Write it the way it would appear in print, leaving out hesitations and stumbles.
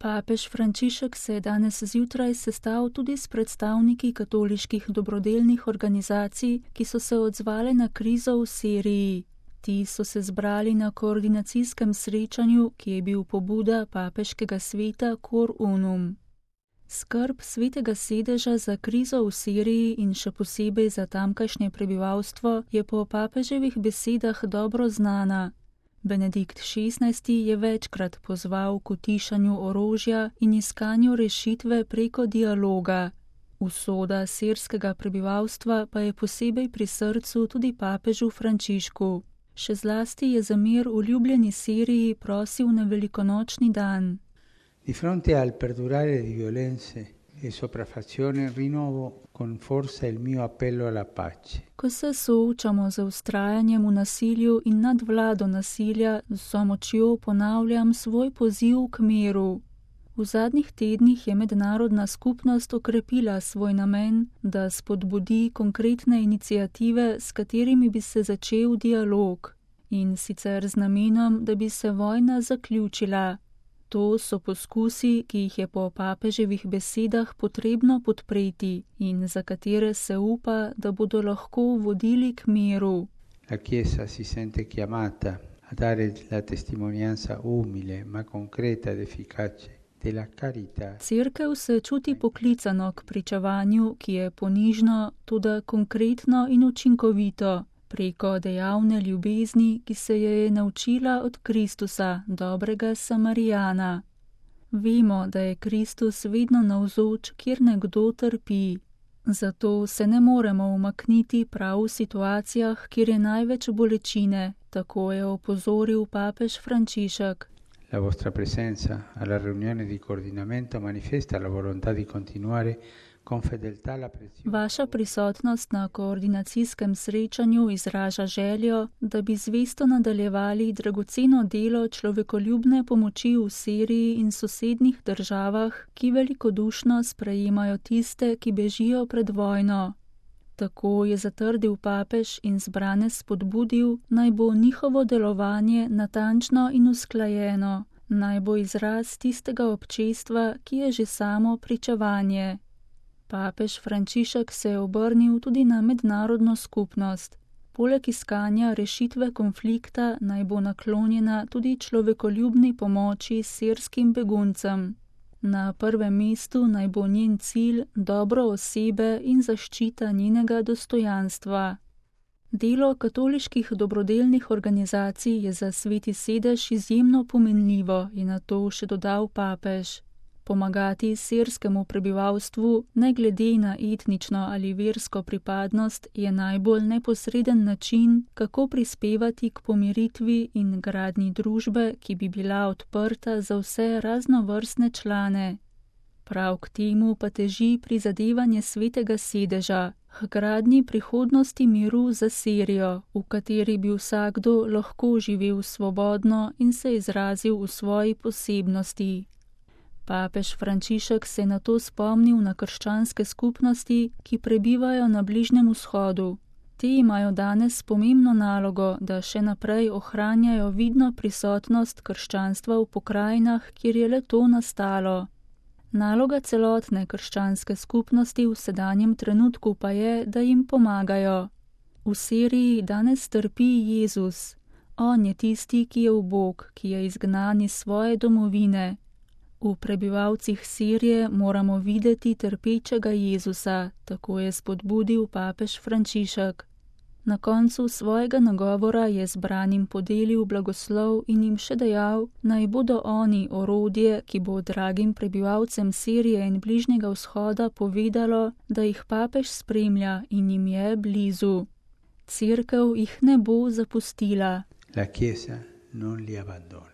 Papež Frančišek se je danes zjutraj sestal tudi s predstavniki katoliških dobrodelnih organizacij, ki so se odzvale na krizo v Siriji. Ti so se zbrali na koordinacijskem srečanju, ki je bil pobuda papeškega sveta Cor Unum. Skrb svetega sedeža za krizo v Siriji in še posebej za tamkajšnje prebivalstvo je po papeževih besedah dobro znana. Benedikt XVI. Je večkrat pozval k utišanju orožja in iskanju rešitve preko dialoga. Usoda sirskega prebivalstva pa je posebej pri srcu tudi papežu Frančišku. Še zlasti je za mir v ljubljeni Siriji prosil na velikonočni dan. Di fronte al perdurare di violenze e sopraffazione rinnovo con forza il mio appello alla pace. Ko se soočamo z vztrajanjem v nasilju in nadvlado nasilja, z vso močjo ponavljam svoj poziv k miru. V zadnjih tednih je mednarodna skupnost okrepila svoj namen, da spodbudi konkretne iniciative, s katerimi bi se začel dialog, in sicer z namenom, da bi se vojna zaključila. To so poskusi, ki jih je po papeževih besedah potrebno podpreti in za katere se upa, da bodo lahko vodili k miru. La Chiesa si sente chiamata a dare la testimonianza umile ma concreta ed efficace della carità. Cerkev se čuti poklicano k pričevanju, ki je ponižno, toda konkretno in učinkovito, preko dejavne ljubezni, ki se je naučila od Kristusa, dobrega Samarijana. Vemo, da je Kristus vedno navzoč, kjer nekdo trpi. Zato se ne moremo umakniti prav v situacijah, kjer je največ bolečine, tako je opozoril papež Frančišek. La vostra presenza alla riunione di coordinamento manifesta la volontà di continuare con fedeltà la preziosa. Vaša prisotnost na koordinacijskem srečanju izraža željo, da bi zvesto nadaljevali dragoceno delo človekoljubne pomoči v Siriji in sosednjih državah, ki velikodušno sprejemajo tiste, ki bežijo pred vojno. Tako je zatrdil papež in zbrane spodbudil, naj bo njihovo delovanje natančno in usklajeno, naj bo izraz tistega občestva, ki je že samo pričevanje. Papež Frančišek se je obrnil tudi na mednarodno skupnost. Poleg iskanja rešitve konflikta naj bo naklonjena tudi človekoljubni pomoči sirskim beguncem. Na prvem mestu naj bo njen cilj dobro osebe in zaščita njenega dostojanstva. Delo katoliških dobrodelnih organizacij je za sveti sedež izjemno pomenljivo, je na to še dodal papež. Pomagati sirskemu prebivalstvu, ne glede na etnično ali versko pripadnost, je najbolj neposreden način, kako prispevati k pomiritvi in gradnji družbe, ki bi bila odprta za vse raznovrstne člane. Prav k temu pa teži prizadevanje svetega sedeža, k gradnji prihodnosti miru za Sirijo, v kateri bi vsakdo lahko živel svobodno in se izrazil v svoji posebnosti. Papež Frančišek se je na to spomnil na krščanske skupnosti, ki prebivajo na Bližnjem vzhodu. Te imajo danes pomembno nalogo, da še naprej ohranjajo vidno prisotnost krščanstva v pokrajinah, kjer je le to nastalo. Naloga celotne krščanske skupnosti v sedanjem trenutku pa je, da jim pomagajo. V Siriji danes trpi Jezus. On je tisti, ki je ubog, ki je izgnan iz svoje domovine. V prebivalcih Sirije moramo videti trpečega Jezusa, tako je spodbudil papež Frančišek. Na koncu svojega nagovora je zbranim podelil blagoslov in jim še dejal, naj bodo oni orodje, ki bo dragim prebivalcem Sirije in Bližnjega vzhoda povedalo, da jih papež spremlja in jim je blizu. Cerkev jih ne bo zapustila. La Chiesa non li abbandona.